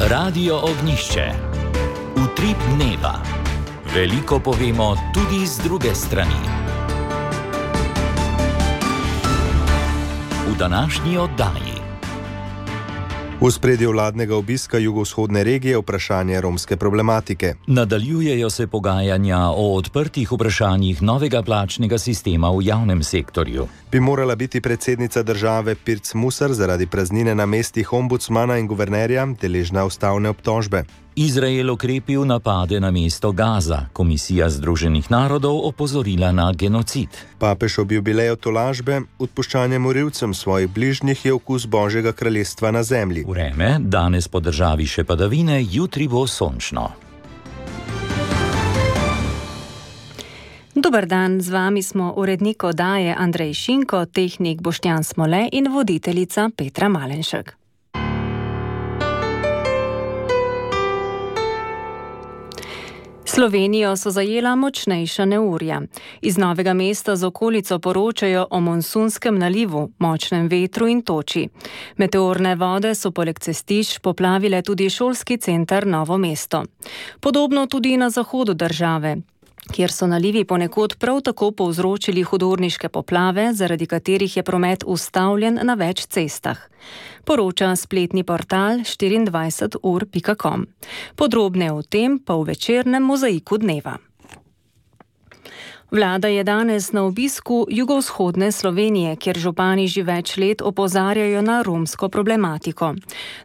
Radio Ognjišče. Utrip dneva. Veliko povemo tudi z druge strani. V današnji oddaji. V ospredju vladnega obiska jugovzhodne regije vprašanje romske problematike. Nadaljujejo se pogajanja o odprtih vprašanjih novega plačnega sistema v javnem sektorju. Bi morala biti predsednica države Pirc Musar zaradi praznine na mestih ombudsmana in guvernerja deležna ustavne obtožbe. Izrael okrepil napade na mesto Gaza. Komisija Združenih narodov opozorila na genocid. Papež ob jubileju tolažbe, odpuščanje morilcem svojih bližnjih je okus Božjega kraljestva na zemlji. Vreme, danes po državi še padavine, jutri bo sončno. Dober dan, z vami smo urednik oddaje Andrej Šinko, tehnik Boštjan Smole in voditeljica Petra Malenšek. Slovenijo so zajela močnejša neurja. Iz Novega mesta z okolico poročajo o monsunskem nalivu, močnem vetru in toči. Meteorne vode so poleg cestišč poplavile tudi šolski center Novo mesto. Podobno tudi na zahodu države, kjer so nalivi ponekod prav tako povzročili hudourniške poplave, zaradi katerih je promet ustavljen na več cestah. Poroča spletni portal 24ur.com. Podrobneje o tem pa v večernem mozaiku dneva. Vlada je danes na obisku jugovzhodne Slovenije, kjer župani že več let opozarjajo na romsko problematiko.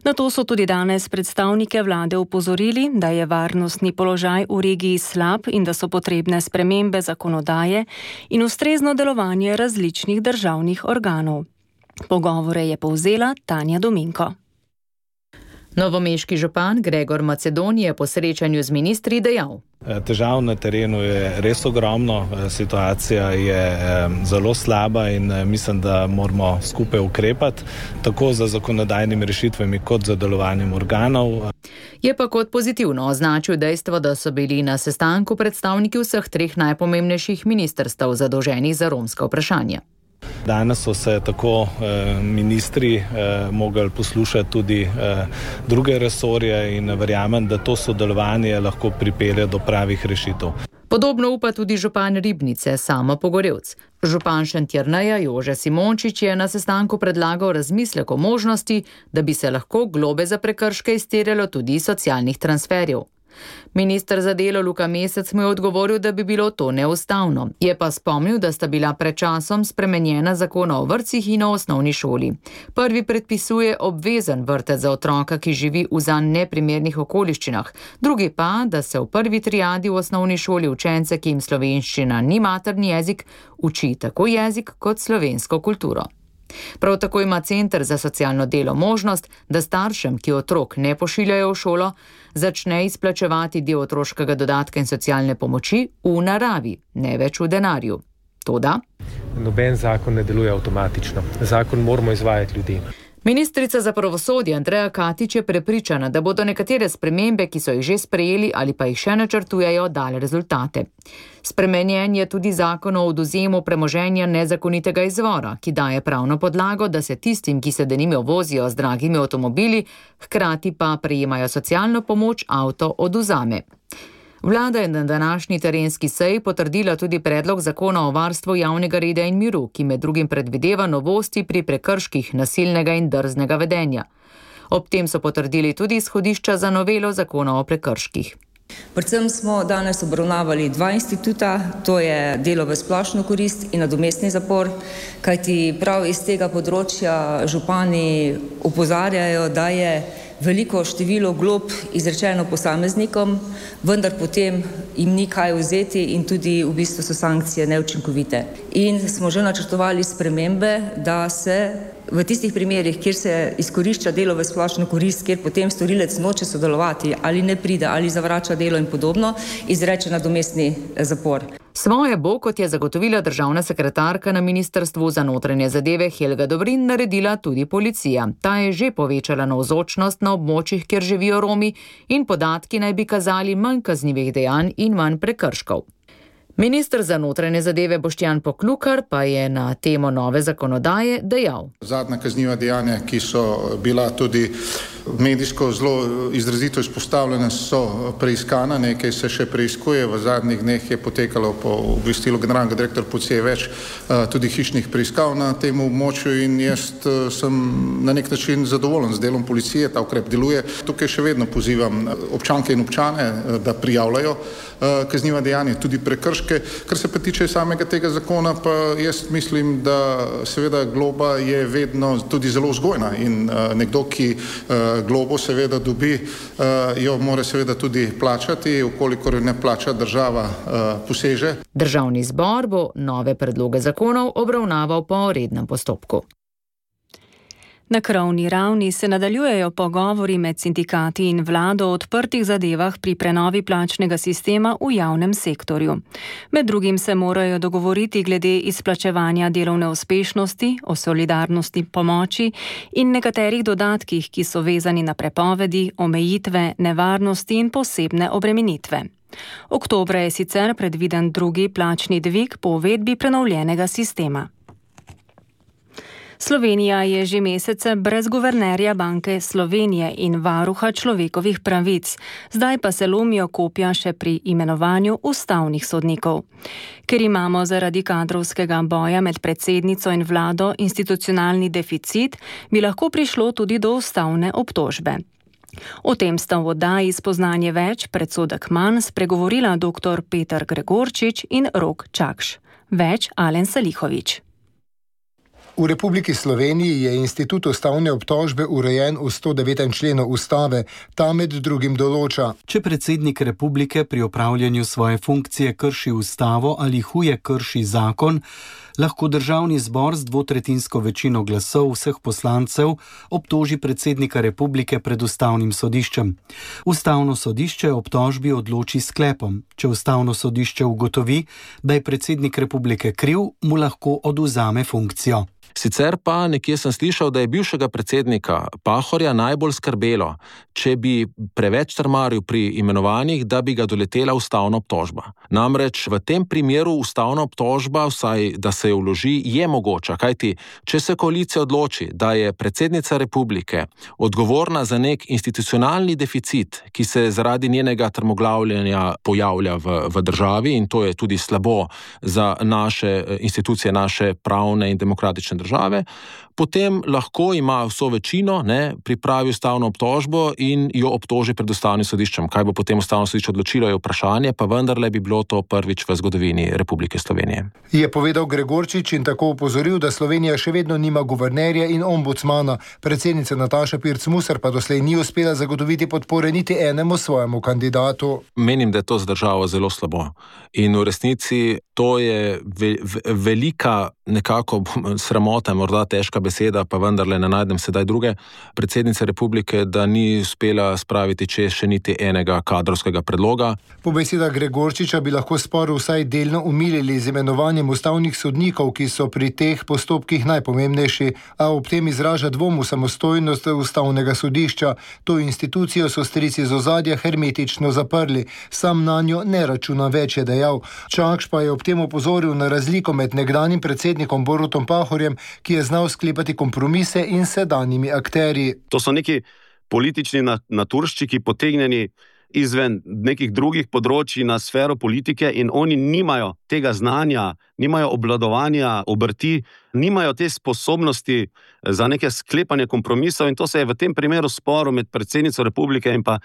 Na to so tudi danes predstavnike vlade opozorili, da je varnostni položaj v regiji slab in da so potrebne spremembe zakonodaje in ustrezno delovanje različnih državnih organov. Pogovore je povzela Tanja Dominko. Novomeški župan Gregor Macedon je po srečanju z ministri dejal: Težav na terenu je res ogromno, situacija je zelo slaba in mislim, da moramo skupaj ukrepati, tako za zakonodajnimi rešitvami kot za delovanjem organov. Je pa kot pozitivno označil dejstvo, da so bili na sestanku predstavniki vseh treh najpomembnejših ministrstev zadolženih za romska vprašanja. Danes so se tako ministri mogli poslušati tudi druge resorje in verjamem, da to sodelovanje lahko pripelje do pravih rešitev. Podobno upa tudi župan Ribnice Samo Pogorevc. Župan Šentjerneja Jože Simončič je na sestanku predlagal razmislek o možnosti, da bi se lahko globe za prekrške izterjalo tudi iz socialnih transferjev. Minister za delo Luka Mesec mu je odgovoril, da bi bilo to neustavno. Je pa spomnil, da sta bila pred časom spremenjena zakona o vrtcih in o osnovni šoli. Prvi predpisuje obvezen vrtec za otroka, ki živi v zanj neprimernih okoliščinah, drugi pa, da se v prvi triadi v osnovni šoli učence, ki jim slovenščina ni materni jezik, uči tako jezik kot slovensko kulturo. Prav tako ima Center za socialno delo možnost, da staršem, ki otrok ne pošiljajo v šolo, začne izplačevati del otroškega dodatka in socialne pomoči v naravi, ne več v denarju. Toda noben zakon ne deluje avtomatično. Zakon moramo izvajati ljudi. Ministrica za pravosodje Andreja Katič je prepričana, da bodo nekatere spremembe, ki so jih že sprejeli ali pa jih še načrtujejo, dale rezultate. Spremenjen je tudi zakon o odvzemu premoženja nezakonitega izvora, ki daje pravno podlago, da se tistim, ki se denimo vozijo z dragimi avtomobili, hkrati pa prejemajo socialno pomoč, avto odvzame. Vlada je na današnji terenski seji potrdila tudi predlog zakona o varstvu javnega reda in miru, ki med drugim predvideva novosti pri prekrških nasilnega in drznega vedenja. Ob tem so potrdili tudi izhodišča za novelo zakona o prekrških. Predvsem smo danes obravnavali dva instituta, to je delo v splošno korist in nadomestni zapor, kajti prav iz tega področja župani opozarjajo, da je veliko število glob izrečeno posameznikom, vendar potem jim ni kaj vzeti in tudi v bistvu so sankcije neučinkovite. In smo že načrtovali spremembe, da se v tistih primerih, kjer se izkorišča delo v splošno korist, kjer potem storilec noče sodelovati ali ne pride ali zavrača delo in podobno, izreče nadomestni zapor. Svoje bo, kot je zagotovila državna sekretarka na Ministrstvu za notranje zadeve Helga Dobrin, naredila tudi policija. Ta je že povečala navzočnost na območjih, kjer živijo Romi, in podatki naj bi kazali manj kaznivih dejanj in manj prekrškov. Minister za notranje zadeve Boštjan Poklukar pa je na temo nove zakonodaje dejal: Zadnja kazniva dejanja, ki so bila tudi medijsko zelo izrazito izpostavljene, so preiskana, nekaj se še preiskuje. V zadnjih dneh je potekalo po obvestilu generalnega direktorja policije več tudi hišnih preiskav na tem območju in jaz sem na nek način zadovoljen z delom policije, ta ukrep deluje. Tukaj še vedno pozivam občanke in občane, da prijavljajo kazniva dejanja, tudi prekrške. Kar se pa tiče samega tega zakona, pa jaz mislim, da seveda globa je vedno tudi zelo vzgojna in nekdo, ki globo seveda dobi, jo mora seveda tudi plačati, ukolikor ne plača, država poseže. Državni zbor bo nove predloge zakonov obravnaval po rednem postopku. Na krovni ravni se nadaljujejo pogovori med sindikati in vlado o odprtih zadevah pri prenovi plačnega sistema v javnem sektorju. Med drugim se morajo dogovoriti glede izplačevanja delovne uspešnosti, o solidarnosti pomoči in nekaterih dodatkih, ki so vezani na prepovedi, omejitve, nevarnosti in posebne obremenitve. Oktobra je sicer predviden drugi plačni dvig po uvedbi prenovljenega sistema. Slovenija je že mesece brez guvernerja Banke Slovenije in varuha človekovih pravic, zdaj pa se lomijo kopja še pri imenovanju ustavnih sodnikov. Ker imamo zaradi kadrovskega boja med predsednico in vlado institucionalni deficit, bi lahko prišlo tudi do ustavne obtožbe. O tem sta v oddaji Spoznanje več, predsodek manj spregovorila dr. Peter Gregorčič in Rok Čakš. Več Alen Salihovič. V Republiki Sloveniji je institut ustavne obtožbe urejen v 109. členu ustave. Ta med drugim določa: če predsednik republike pri opravljanju svoje funkcije krši ustavo ali huje krši zakon, lahko državni zbor z dvotretjinsko večino glasov vseh poslancev obtoži predsednika republike pred ustavnim sodiščem. Ustavno sodišče obtožbi odloči sklepom. Če ustavno sodišče ugotovi, da je predsednik republike kriv, mu lahko odvzame funkcijo. Sicer pa nekje sem slišal, da je bivšega predsednika Pahorja najbolj skrbelo, če bi preveč trmaril pri imenovanjih, da bi ga doletela ustavna obtožba. Namreč v tem primeru ustavna obtožba, vsaj da se jo vloži, je mogoča, kajti če se koalicija odloči, da je predsednica republike odgovorna za nek institucionalni deficit, ki se zaradi njenega trmoglavljanja pojavlja v državi, in to je tudi slabo za naše institucije, naše pravne in demokratične države, potem lahko ima vso večino, pripravi ustavno obtožbo in jo obtoži pred ustavnim sodiščem. Kaj bo potem ustavno sodišče odločilo, je vprašanje, pa vendarle bi bilo to prvič v zgodovini Republike Slovenije. Je povedal Gregorčič in tako opozoril, da Slovenija še vedno nima guvernerja in ombudsmana. Predsednica Nataša Pirc Musar pa doslej ni uspela zagotoviti podpore niti enemu svojemu kandidatu. Menim, da je to za državo zelo slabo. In v resnici to je velika nekako sramota, morda težka beseda, pa vendarle ne najdem sedaj druge predsednice republike, da ni uspela spraviti čez še niti enega kadrovskega predloga. Po besedah Gregorčiča bi lahko spor vsaj delno umilili z imenovanjem ustavnih sodnikov, ki so pri teh postopkih najpomembnejši, a ob tem izraža dvom v samostojnost ustavnega sodišča. To institucijo so strici z ozadja hermetično zaprli. Sam nanjo ne računa več, je dejal. Čakš pa je ob tem opozoril na razliko med nekdanjim predsednikom Borutom Pahorjem, ki je znal sklepati kompromise, in sedanjimi akterji. To so neki politični naturščiki potegnjeni izven nekih drugih področji na sfero politike in oni nimajo tega znanja, nimajo obvladovanja obrti, nimajo te sposobnosti za neke sklepanje kompromisov in to se je v tem primeru sporu med predsednico republike in pa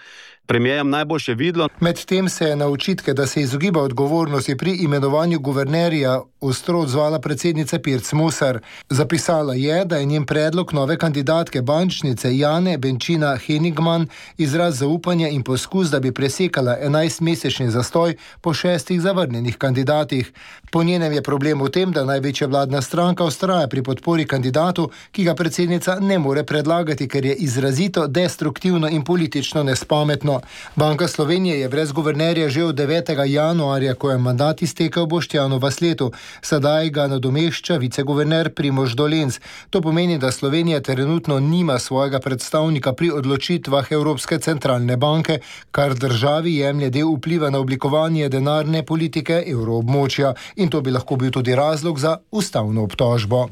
premijerjem najboljše videlo. Medtem se je na očitke, da se izogiba odgovornosti pri imenovanju guvernerja, ostro odzvala predsednica Pirc Musar. Zapisala je, da je njen predlog nove kandidatke bančnice Jane Benčina Henigman izraz zaupanja in poskus, da bi presekala 11-mesečni zastoj po 6 zavrnjenih kandidatih. Po njenem je problem v tem, da največja vladna stranka vztraja pri podpori kandidatu, ki ga predsednica ne more predlagati, ker je izrazito destruktivno in politično nespametno. Banka Slovenije je brez guvernerja že od 9. januarja, ko je mandat iztekel Boštjanu Vasletu. Sedaj ga nadomešča viceguverner Primož Dolenc. To pomeni, da Slovenija trenutno nima svojega predstavnika pri odločitvah Evropske centralne banke, kar državi jemlje del vpliva na oblikovanje denarne politike evroobmočja. In to bi lahko bil tudi razlog za ustavno obtožbo.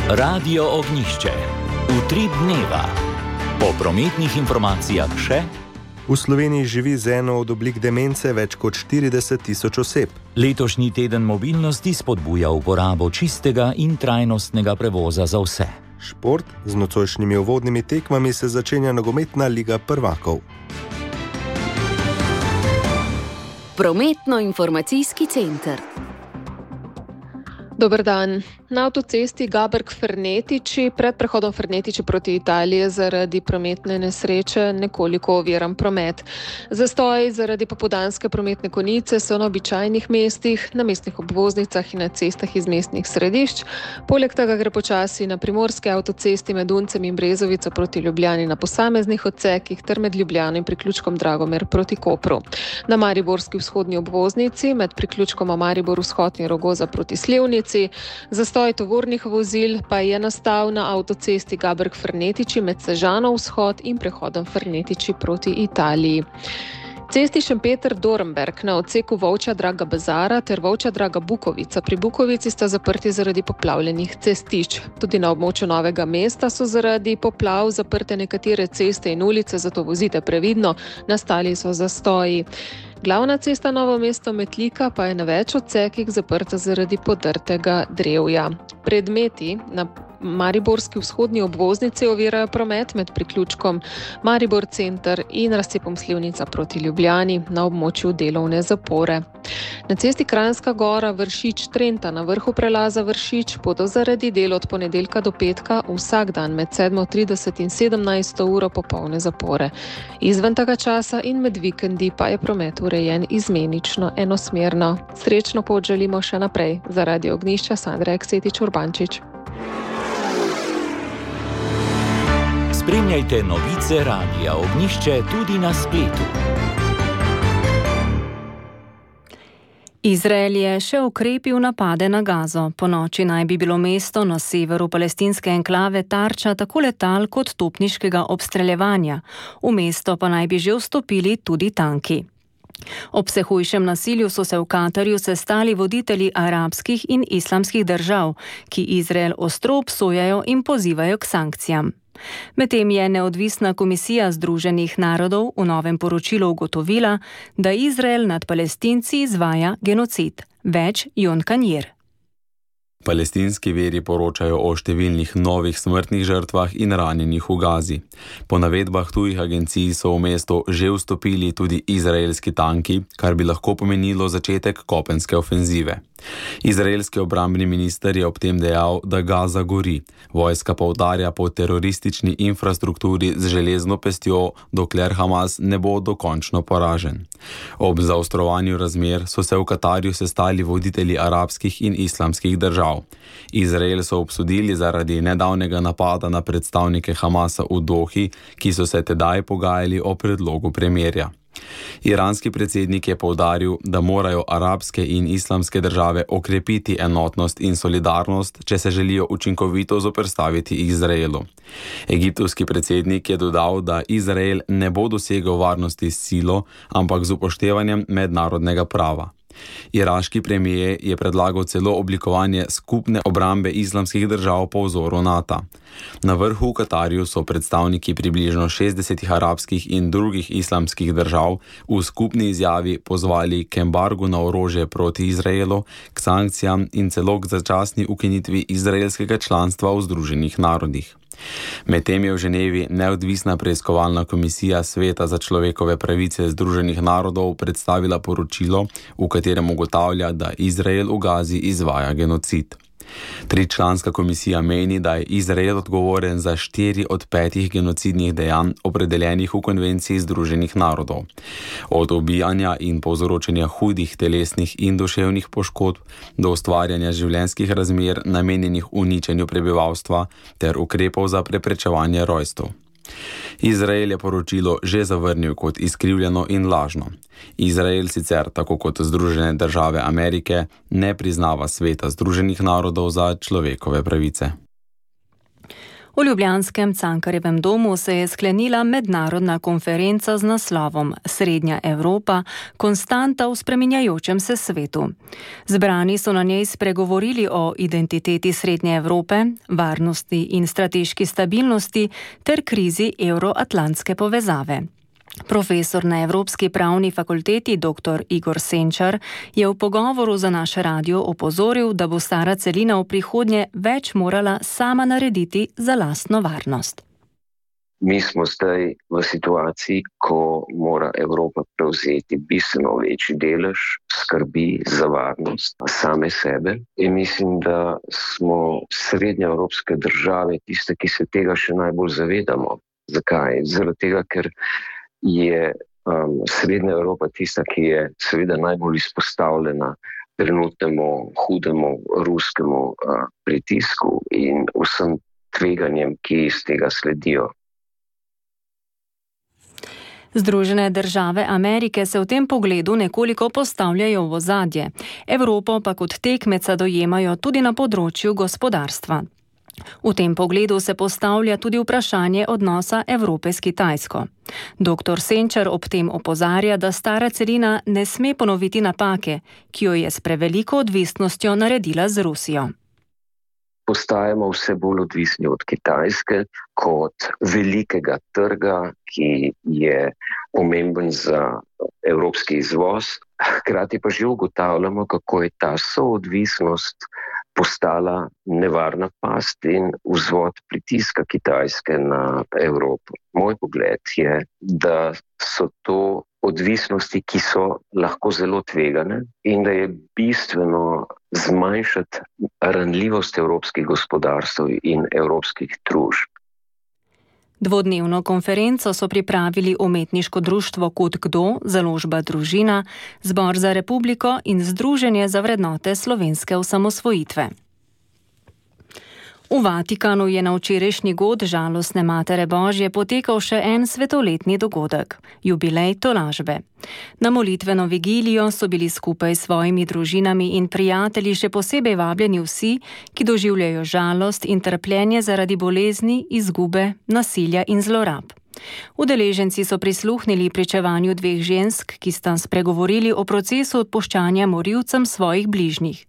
Radio Ognjišče. Utrip dneva. Po prometnih informacijah še. V Sloveniji živi z eno od oblik demence več kot 40.000 oseb. Letošnji teden mobilnosti spodbuja uporabo čistega in trajnostnega prevoza za vse. Šport, z nocojšnjimi uvodnimi tekmami se začenja nogometna liga prvakov. Prometno-informacijski center. Dober dan. Na avtocesti Gaberg-Fernetiči pred prehodom Fernetiči proti Italiji zaradi prometne nesreče nekoliko oviran promet. Zastoji zaradi popoldanske prometne konice so na običajnih mestih, na mestnih obvoznicah in na cestah iz mestnih središč. Poleg tega gre počasi na primorske avtocesti med Uncem in Brezovico proti Ljubljani na posameznih odsekih ter med Ljubljano in priključkom Dragomer proti Kopru. Na mariborski vzhodni obvoznici med priključkoma Maribor vzhod in Rogoza proti Slivnici. Zastoj tovornih vozil pa je nastal na avtocesti Gaberg-Fernetiči med Sežano vzhod in prehodom Fernetiči proti Italiji. Cesti Šempeter-Dornberg na odseku Volčja Draga Bazara ter Volčja Draga Bukovica. Pri Bukovici sta zaprti zaradi poplavljenih cestišč. Tudi na območju Novega mesta so zaradi poplav zaprte nekatere ceste in ulice, zato vozite previdno, nastali so zastoji. Glavna cesta Novo mesto-Metlika pa je na več odsekih zaprta zaradi podrtega drevja. Predmeti na mariborski vzhodni obvoznici ovirajo promet med priključkom Maribor center in razcepom Slivnica proti Ljubljani na območju delovne zapore. Na cesti Kranjska Gora Vršič-Trenta na vrhu prelaza Vršič bodo zaradi del od ponedeljka do petka vsak dan med 7:30 in 17. uro popolne zapore. Izven tega časa in med vikendi pa je promet urejen izmenično enosmerno. Srečno pot želimo še naprej. Za Radio Ognjišča Sandra Eksetič-Urbančič. Spremljajte novice Radia Ognjišče tudi na spletu. Izrael je še okrepil napade na Gazo. Ponoči naj bi bilo mesto na severu palestinske enklave tarča tako letal kot topniškega obstreljevanja. V mesto pa naj bi že vstopili tudi tanki. Ob vse hujšem nasilju so se v Katarju sestali voditelji arabskih in islamskih držav, ki Izrael ostro obsojajo in pozivajo k sankcijam. Medtem je neodvisna komisija Združenih narodov v novem poročilu ugotovila, da Izrael nad Palestinci izvaja genocid. Več Jon Kanjer. Palestinski viri poročajo o številnih novih smrtnih žrtvah in ranjenih v Gazi. Po navedbah tujih agencij so v mesto že vstopili tudi izraelski tanki, kar bi lahko pomenilo začetek kopenske ofenzive. Izraelski obrambni minister je ob tem dejal, da Gaza gori. Vojska pa udarja po teroristični infrastrukturi z železno pestjo, dokler Hamas ne bo dokončno poražen. Ob zaostrovanju razmer so se v Katarju sestali voditelji arabskih in islamskih držav. Izrael so obsodili zaradi nedavnega napada na predstavnike Hamasa v Dohi, ki so se tedaj pogajali o predlogu premirja. Iranski predsednik je poudaril, da morajo arabske in islamske države okrepiti enotnost in solidarnost, če se želijo učinkovito zoperstaviti Izraelu. Egiptovski predsednik je dodal, da Izrael ne bo dosegel varnosti s silo, ampak z upoštevanjem mednarodnega prava. Iraški premijer je predlagal celo oblikovanje skupne obrambe islamskih držav po vzoru NATO. Na vrhu v Katarju so predstavniki približno 60 arabskih in drugih islamskih držav v skupni izjavi pozvali k embargu na orožje proti Izraelu, k sankcijam in celo k začasni ukinitvi izraelskega članstva v Združenih narodih. Medtem je v Ženevi neodvisna preiskovalna komisija Sveta za človekove pravice Združenih narodov predstavila poročilo, v katerem ugotavlja, da Izrael v Gazi izvaja genocid. Tričlanska komisija meni, da je Izrael odgovoren za 4 od 5 genocidnih dejanj opredeljenih v konvenciji Združenih narodov. Od ubijanja in povzročanja hudih telesnih in duševnih poškodb do ustvarjanja življenjskih razmer namenjenih uničenju prebivalstva ter ukrepov za preprečevanje rojstev. Izrael je poročilo že zavrnil kot izkrivljeno in lažno. Izrael sicer, tako kot Združene države Amerike, ne priznava Sveta Združenih narodov za človekove pravice. V ljubljanskem Cankarjevem domu se je sklenila mednarodna konferenca z naslovom Srednja Evropa – konstanta v spreminjajočem se svetu. Zbrani so na njej spregovorili o identiteti Srednje Evrope, varnosti in strateški stabilnosti ter krizi evroatlantske povezave. Profesor na Evropski pravni fakulteti dr. Igor Senčar je v pogovoru za naš radio opozoril, da bo stara celina v prihodnje več morala sama narediti za lastno varnost. Mi smo zdaj v situaciji, ko mora Evropa prevzeti bistveno večji delež skrbi za varnost same sebe. In mislim, da smo srednjeevropske države tiste, ki se tega še najbolj zavedamo. Zakaj? Zaradi tega, ker je Srednja Evropa tista, ki je seveda najbolj izpostavljena trenutnemu hudemu ruskemu pritisku in vsem tveganjem, ki iz tega sledijo. Združene države Amerike se v tem pogledu nekoliko postavljajo v ozadje. Evropo pa kot tekmeca dojemajo tudi na področju gospodarstva. V tem pogledu se postavlja tudi vprašanje odnosa Evrope s Kitajsko. Dr. Senčar ob tem opozarja, da stara celina ne sme ponoviti napake, ki jo je s preveliko odvisnostjo naredila z Rusijo. Postajamo vse bolj odvisni od Kitajske kot velikega trga, ki je pomemben za evropski izvoz. Hkrati pa že ugotavljamo, kako je ta soodvisnost postala nevarna past in vzvod pritiska Kitajske na Evropo. Moj pogled je, da so to odvisnosti, ki so lahko zelo tvegane in da je bistveno zmanjšati ranljivost evropskih gospodarstv in evropskih družb. Dvodnevno konferenco so pripravili Umetniško društvo Kud Kdo, Založba Družina, Zbor za republiko in Združenje za vrednote slovenske osamosvojitve. V Vatikanu je na včerajšnji god žalostne Matere Božje potekal še en svetoletni dogodek – jubilej tolažbe. Na molitveno vigilijo so bili skupaj s svojimi družinami in prijatelji še posebej vabljeni vsi, ki doživljajo žalost in trpljenje zaradi bolezni, izgube, nasilja in zlorab. Udeleženci so prisluhnili pričevanju dveh žensk, ki sta spregovorili o procesu odpuščanja morilcem svojih bližnjih.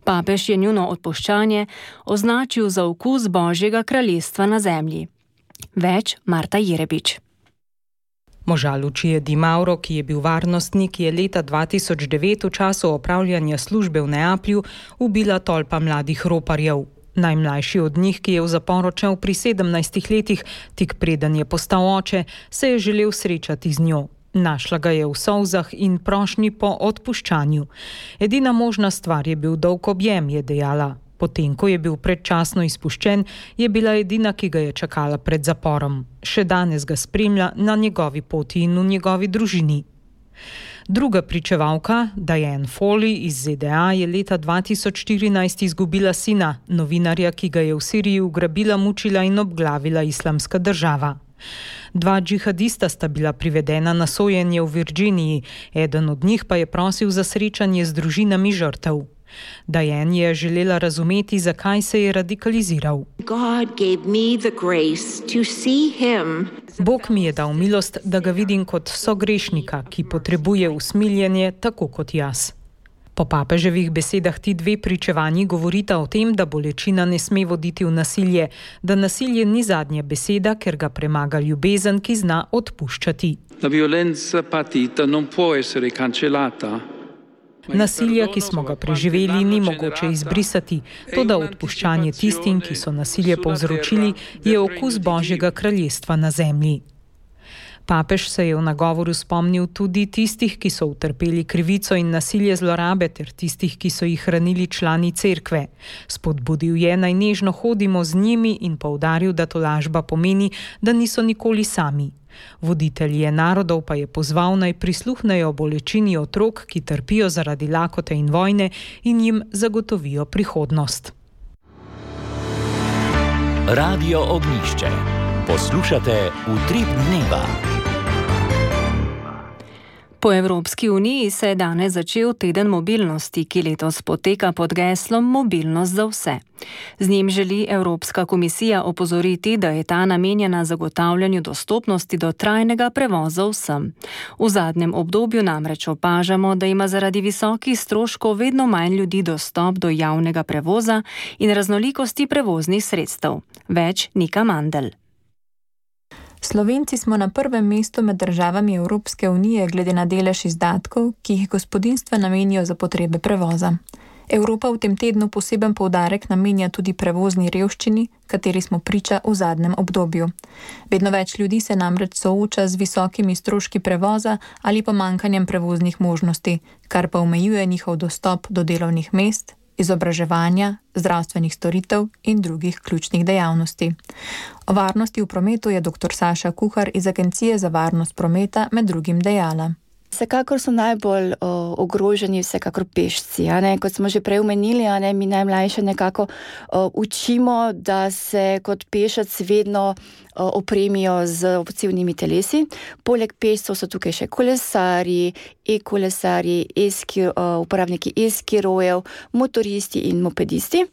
Papež je njuno odpuščanje označil za okus Božjega kraljestva na zemlji. Več Marta Jerebič. Moža Lučije Di Mauro, ki je bil varnostnik, je leta 2009 v času opravljanja službe v Neaplju ubila tolpa mladih roparjev. Najmlajši od njih, ki je v zapor odšel pri 17 letih, tik preden je postal oče, se je želel srečati z njo. Našla ga je v solzah in prošnji po odpuščanju. Edina možna stvar je bil dolg objem, je dejala. Potem, ko je bil predčasno izpuščen, je bila edina, ki ga je čakala pred zaporom. Še danes ga spremlja na njegovi poti in v njegovi družini. Druga pričevalka, Diane Foley iz ZDA, je leta 2014 izgubila sina, novinarja, ki ga je v Siriji ugrabila, mučila in obglavila Islamska država. Dva džihadista sta bila privedena na sojenje v Virginiji, eden od njih pa je prosil za srečanje z družinami žrtev. Diane je želela razumeti, zakaj se je radikaliziral. Bog mi je dal milost, da ga vidim kot sogrešnika, ki potrebuje usmiljenje tako kot jaz. Po papeževih besedah ti dve pričevanji govorita o tem, da bolečina ne sme voditi v nasilje, da nasilje ni zadnja beseda, ker ga premaga ljubezen, ki zna odpuščati. Nasilja, ki smo ga preživeli, ni mogoče izbrisati, toda odpuščanje tistim, ki so nasilje povzročili, je okus Božjega kraljestva na zemlji. Papež se je v nagovoru spomnil tudi tistih, ki so utrpeli krivico in nasilje zlorabe, ter tistih, ki so jih hranili člani cerkve. Spodbudil je, naj nežno hodimo z njimi in poudaril, da tolažba pomeni, da niso nikoli sami. Voditelje narodov pa je pozval, naj prisluhnejo bolečini otrok, ki trpijo zaradi lakote in vojne, in jim zagotovijo prihodnost. Radio Ognjišče. Poslušate Utrip dneva. Po Evropski uniji se je danes začel teden mobilnosti, ki letos poteka pod geslom Mobilnost za vse. Z njim želi Evropska komisija opozoriti, da je ta namenjena zagotavljanju dostopnosti do trajnega prevoza vsem. V zadnjem obdobju namreč opažamo, da ima zaradi visokih stroškov vedno manj ljudi dostop do javnega prevoza in raznolikosti prevoznih sredstev. Več Nika Mandl. Slovenci smo na prvem mestu med državami Evropske unije glede na delež izdatkov, ki jih gospodinjstva namenijo za potrebe prevoza. Evropa v tem tednu poseben poudarek namenja tudi prevozni revščini, kateri smo priča v zadnjem obdobju. Vedno več ljudi se namreč sooča z visokimi stroški prevoza ali pomanjkanjem prevoznih možnosti, kar pa omejuje njihov dostop do delovnih mest, izobraževanja, zdravstvenih storitev in drugih ključnih dejavnosti. O varnosti v prometu je dr. Saša Kuhar iz Agencije za varnost prometa med drugim dejala. Vsekakor so najbolj ogroženi vsekakor pešci. Kot smo že prej omenili, mi najmlajše nekako učimo, da se kot pešec vedno opremijo z opcivnimi telesi. Poleg pešcev so tukaj še kolesarji, e-kolesarji, uporabniki e-skirojev, motoristi in mopedisti.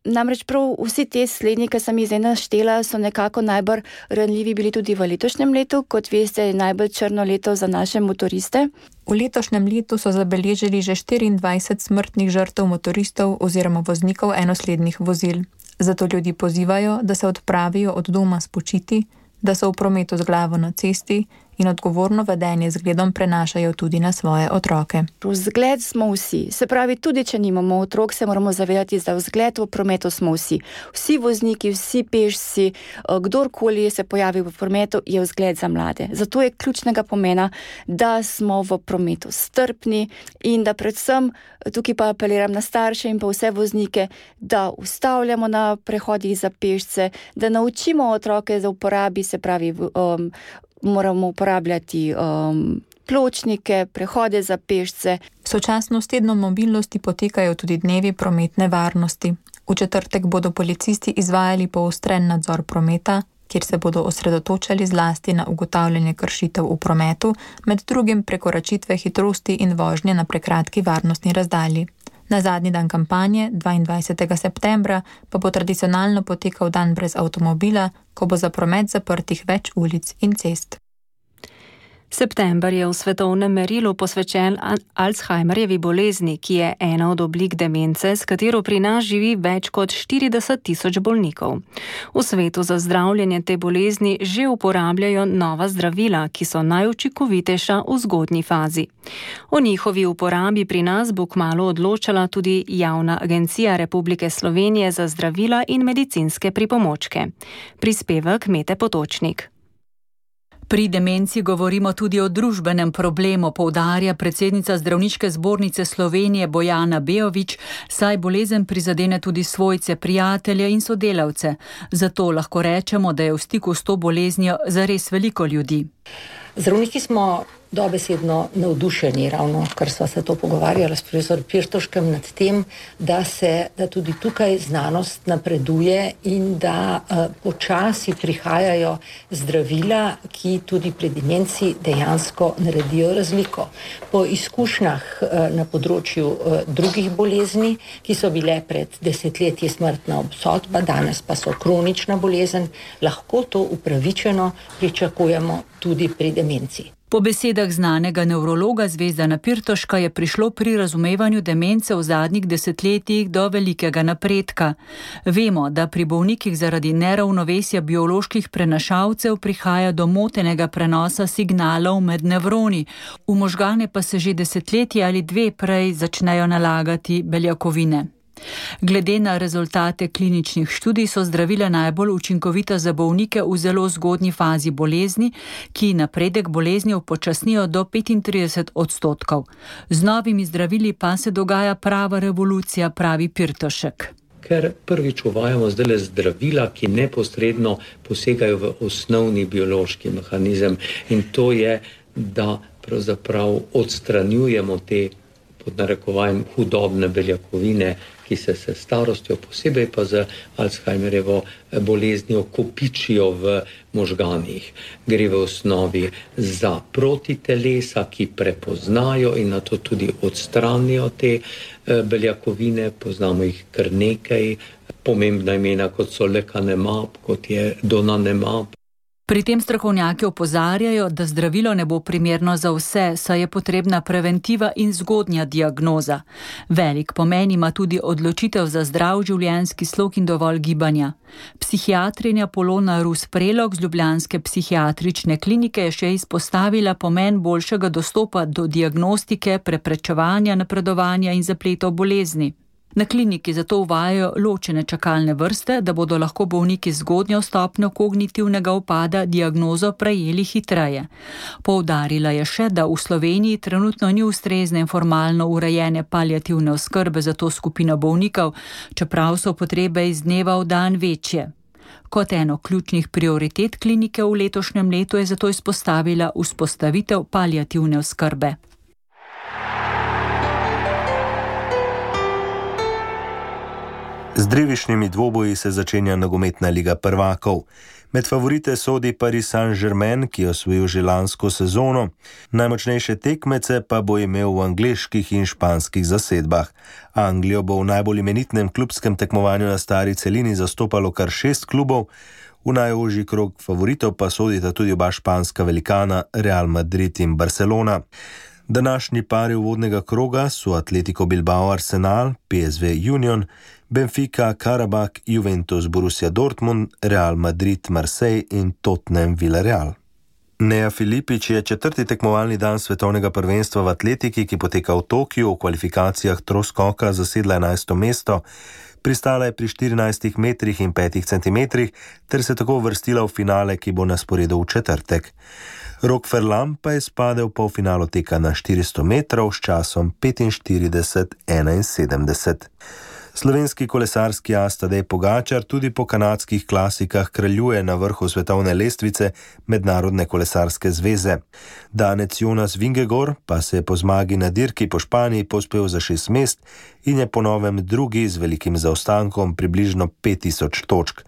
Namreč prav vsi te slednji, ki sem jih zdaj naštela, so nekako najbolj ranljivi bili tudi v letošnjem letu. Kot veste, je najbolj črno leto za naše motoriste. V letošnjem letu so zabeležili že 24 smrtnih žrtev motoristov oziroma voznikov enoslednih vozil. Zato ljudi pozivajo, da se odpravijo od doma spočiti, da so v prometu z glavo na cesti in odgovorno vedenje zgledom prenašajo tudi na svoje otroke. Vzgled smo vsi. Se pravi, tudi če nimamo otrok, se moramo zavedati, da vzgled v prometu smo vsi. Vsi vozniki, vsi pešci, kdorkoli se pojavi v prometu, je vzgled za mlade. Zato je ključnega pomena, da smo v prometu strpni in da predvsem, tukaj pa apeliram na starše in pa vse voznike, da ustavljamo na prehodih za pešce, da naučimo otroke za uporabi, se pravi, moramo uporabljati pločnike, prehode za pešce. Sočasno s tednom mobilnosti potekajo tudi dnevi prometne varnosti. V četrtek bodo policisti izvajali poostren nadzor prometa, kjer se bodo osredotočali zlasti na ugotavljanje kršitev v prometu, med drugim prekoračitve hitrosti in vožnje na prekratki varnostni razdalji. Na zadnji dan kampanje, 22. septembra, pa bo tradicionalno potekal dan brez avtomobila, ko bo za promet zaprtih več ulic in cest. September je v svetovnem merilu posvečen Alzheimerjevi bolezni, ki je ena od oblik demence, s katero pri nas živi več kot 40.000 bolnikov. V svetu za zdravljenje te bolezni že uporabljajo nova zdravila, ki so najučinkovitejša v zgodnji fazi. O njihovi uporabi pri nas bo kmalu odločala tudi Javna agencija Republike Slovenije za zdravila in medicinske pripomočke. Prispevek Mete Potočnik. Pri demenci govorimo tudi o družbenem problemu, poudarja predsednica Zdravniške zbornice Slovenije Bojana Bejović, saj bolezen prizadene tudi svojce, prijatelje in sodelavce. Zato lahko rečemo, da je v stiku s to boleznijo zares veliko ljudi. Zdravniki smo dobesedno navdušeni, ravno kar sva se to pogovarjala s profesor Pirtoškem nad tem, da tudi tukaj znanost napreduje in da počasi prihajajo zdravila, ki tudi pri demenci dejansko naredijo razliko. Po izkušnjah na področju drugih bolezni, ki so bile pred desetletji smrtna obsodba, danes pa so kronična bolezen, lahko to upravičeno pričakujemo tudi pri demenci. Po besedah znanega nevrologa Zvezdana Pirtoška je prišlo pri razumevanju demence v zadnjih desetletjih do velikega napredka. Vemo, da pri bolnikih zaradi neravnovesja bioloških prenašalcev prihaja do motenega prenosa signalov med nevroni. V možgane pa se že desetletje ali dve prej začnejo nalagati beljakovine. Glede na rezultate kliničnih študij so zdravila najbolj učinkovita za bolnike v zelo zgodnji fazi bolezni, ki napredek bolezni upočasnijo do 35%. Z novimi zdravili pa se dogaja prava revolucija, pravi Pirtošek. Ker prvič uvajamo zdaj zdravila, ki neposredno posegajo v osnovni biološki mehanizem, in to je, da pravzaprav odstranjujemo te pod narekovajem hudobne beljakovine, ki se s starostjo, posebej pa z Alzheimerjevo boleznijo, kopičijo v možganih. Gre v osnovi za protitelesa, ki prepoznajo in na to tudi odstranijo te beljakovine. Poznamo jih kar nekaj, pomembna imena, kot so lecanemab, kot je donanemab. Pri tem strokovnjaki opozarjajo, da zdravilo ne bo primerno za vse, saj je potrebna preventiva in zgodnja diagnoza. Velik pomen ima tudi odločitev za zdrav življenjski slog in dovolj gibanja. Psihiatrinja Polona Rus-Prelog z ljubljanske psihiatrične klinike je še izpostavila pomen boljšega dostopa do diagnostike, preprečevanja, napredovanja in zapletov bolezni. Na kliniki zato uvajajo ločene čakalne vrste, da bodo lahko bolniki z zgodnjo stopnjo kognitivnega upada diagnozo prejeli hitreje. Poudarila je še, da v Sloveniji trenutno ni ustrezne in formalno urejene paliativne oskrbe za to skupino bolnikov, čeprav so potrebe iz dneva v dan večje. Kot eno ključnih prioritet klinike v letošnjem letu je zato izpostavila vzpostavitev paliativne oskrbe. Z drevišnjimi dvoboji se začenja nogometna liga prvakov. Med favorite sodi Paris Saint-Germain, ki je osvojil že lansko sezono. Najmočnejše tekmece pa bo imel v angleških in španskih zasedbah. Anglijo bo v najbolj imenitnem klubskem tekmovanju na stari celini zastopalo kar 6 klubov. V najožji krog favoritov pa sodita tudi oba španska velikana Real Madrid in Barcelona. Današnji pari uvodnega kroga so Atletico Bilbao Arsenal, PSV Union, Benfica Karabakh, Juventus Borussia Dortmund, Real Madrid Marseille in Tottenham Villarreal. Nea Filipič je 4. tekmovalni dan svetovnega prvenstva v atletiki, ki poteka v Tokiu, v kvalifikacijah troskoka zasedla 11. mesto. Pristala je pri 14 metrih in 5 centimetrih ter se tako uvrstila v finale, ki bo na sporedu v četrtek. Rok Ferlam pa je spadel v polfinalo teka na 400 metrov s časom 45:71. Slovenski kolesarski as Tadej Pogačar tudi po kanadskih klasikah kraljuje na vrhu svetovne lestvice Mednarodne kolesarske zveze. Danec Jonas Vingegaard pa se je po zmagi na dirki po Španiji povzpel za 6 mest in je po novem drugi z velikim zaostankom približno 5000 točk.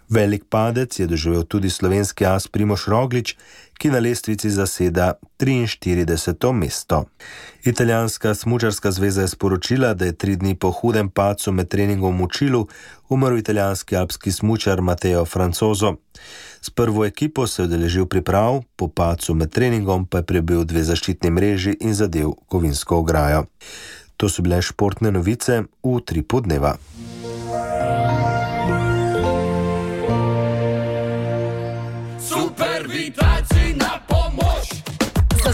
Velik padec je doživel tudi slovenski as Primož Roglič, ki na lestvici zaseda 43. mesto. Italijanska smučarska zveza je sporočila, da je 3 dni po hudem padcu med treningom v Mučilu umrl italijanski alpski smučar Matteo Francoso. S prvo ekipo se je udeležil priprav, po padcu med treningom pa je prebil 2 zaščitni mreži in zadev kovinsko ograjo. To so bile športne novice v Utripu dneva.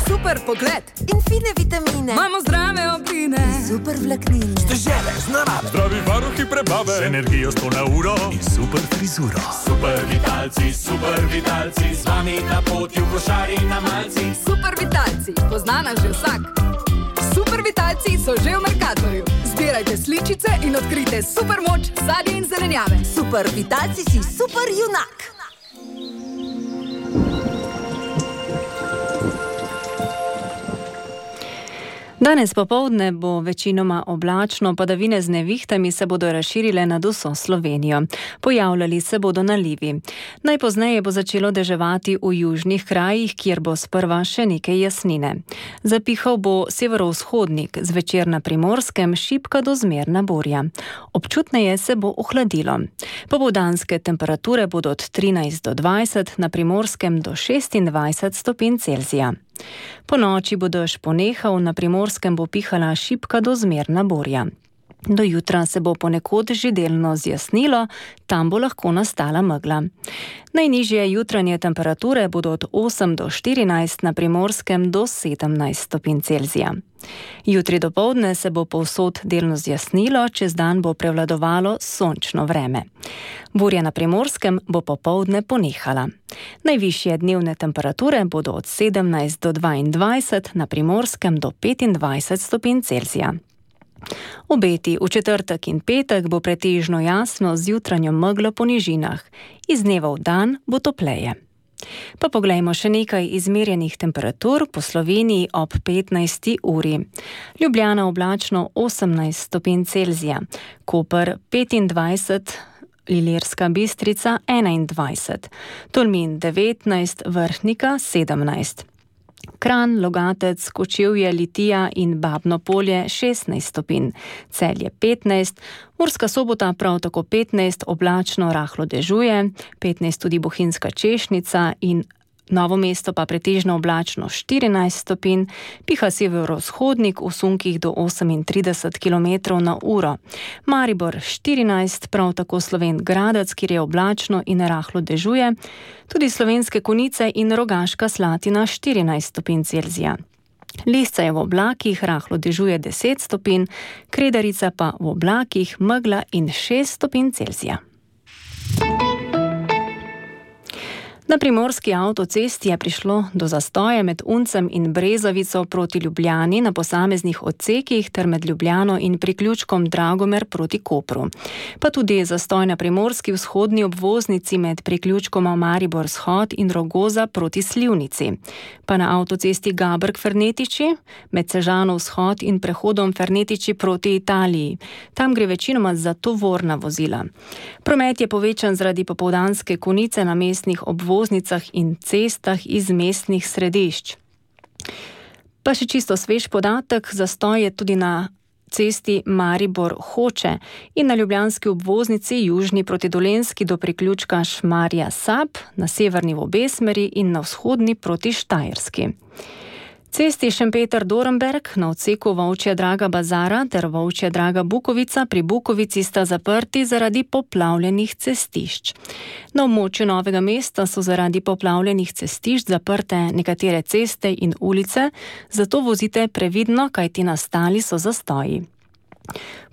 Super pogled in fine vitamine. Imamo zdrave obline, super vlaknine. Stežele z narave, zdravi varuhi prebave, z energijo 100 na uro in super frizuro. Super vitalci, z vami na poti v košari na malci. Super vitalci, poznana že vsak. Super vitalci so že v Mercatorju. Zbirajte sličice in odkrite super moč sadja in zelenjave. Super vitalci si super junak. Danes popoldne bo večinoma oblačno, padavine z nevihtami se bodo razširile nad vso Slovenijo. Pojavljali se bodo nalivi. Najpozneje bo začelo deževati v južnih krajih, kjer bo sprva še nekaj jasnine. Zapihal bo severovzhodnik, zvečer na Primorskem šibka do zmerna burja. Občutneje se bo ohladilo. Popoldanske temperature bodo od 13 do 20, na Primorskem do 26 stopinj Celzija. Po noči bo dež ponehal, na Primorskem bo pihala šibka do zmerna burja. Do jutra se bo ponekod že delno zjasnilo, tam bo lahko nastala megla. Najnižje jutranje temperature bodo od 8 do 14, na Primorskem do 17 stopinj Celzija. Jutri dopoldne se bo povsod delno zjasnilo, čez dan bo prevladovalo sončno vreme. Burja na Primorskem bo popoldne ponehala. Najvišje dnevne temperature bodo od 17 do 22, na Primorskem do 25 stopinj Celzija. Obeti v četrtek in petek bo pretežno jasno z jutranjo meglo po nižinah. Iz dneva v dan bo topleje. Pa poglejmo še nekaj izmerjenih temperatur po Sloveniji ob 15. uri. Ljubljana oblačno 18 stopinj Celzija, Koper 25, Ilirska Bistrica 21, Tolmin 19, Vrhnika 17. Kranj, Logatec, Kočevje, Litija in Babno Polje 16 stopinj, Celje 15, Murska Sobota prav tako 15, oblačno rahlo dežuje, 15 tudi Bohinjska Češnica in Novo mesto pa pretežno oblačno 14 stopinj, piha severovzhodnik v sunkih do 38 km/h. Maribor 14, prav tako Slovenj Gradec, kjer je oblačno in rahlo dežuje, tudi Slovenske Konjice in Rogaška Slatina 14 stopinj Celzija. Lisca je v oblakih, rahlo dežuje 10 stopinj, Kredarica pa v oblakih, megla in 6 stopinj Celzija. Na primorski avtocesti je prišlo do zastoja med Uncem in Brezovico proti Ljubljani na posameznih odsekih ter med Ljubljano in priključkom Dragomer proti Kopru. Pa tudi zastoj na primorski vzhodni obvoznici med priključkoma Maribor Vzhod in Rogoza proti Slivnici. Pa na avtocesti Gabrk-Fernetiči med Sežano Vzhod in prehodom Fernetiči proti Italiji. Tam gre večinoma za tovorna vozila. Promet je povečan zaradi popoldanske konice na mestnih obvoznicah in cestah iz mestnih središč. Pa še čisto svež podatek, zastoj je tudi na cesti Maribor-Hoče in na ljubljanski obvoznici južni proti Dolenjski do priključka Šmarja-Sab, na severni v obe smeri in na vzhodni proti Štajerski. Cesti Šempeter-Dorenberg na odseku Volčja Draga-Bazara ter Volčja Draga-Bukovica pri Bukovici sta zaprti zaradi poplavljenih cestišč. Na območju Novega mesta so zaradi poplavljenih cestišč zaprte nekatere ceste in ulice, zato vozite previdno, kajti nastali so zastoji.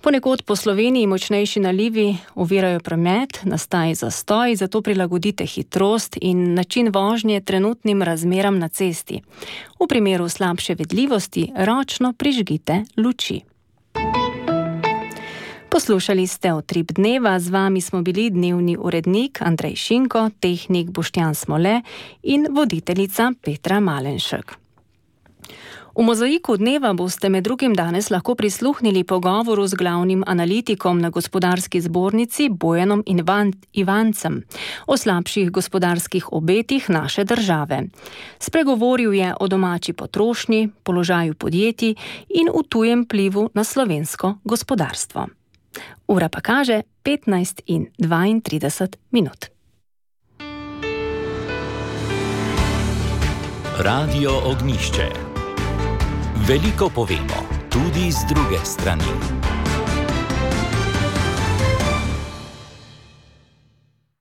Ponekod po Sloveniji močnejši nalivi ovirajo promet, nastaja zastoj, zato prilagodite hitrost in način vožnje trenutnim razmeram na cesti. V primeru slabše vidljivosti ročno prižgite luči. Poslušali ste Utrip dneva, z vami smo bili dnevni urednik Andrej Šinko, tehnik Boštjan Smole in voditeljica Petra Malenšek. V Mozaiku dneva boste med drugim danes lahko prisluhnili pogovoru z glavnim analitikom na Gospodarski zbornici Bojanom Ivancem o slabših gospodarskih obetih naše države. Spregovoril je o domači potrošnji, položaju podjetij in v tujem vplivu na slovensko gospodarstvo. Ura pa kaže 15:32. Radio Ognjišče. Veliko povemo, tudi z druge strani.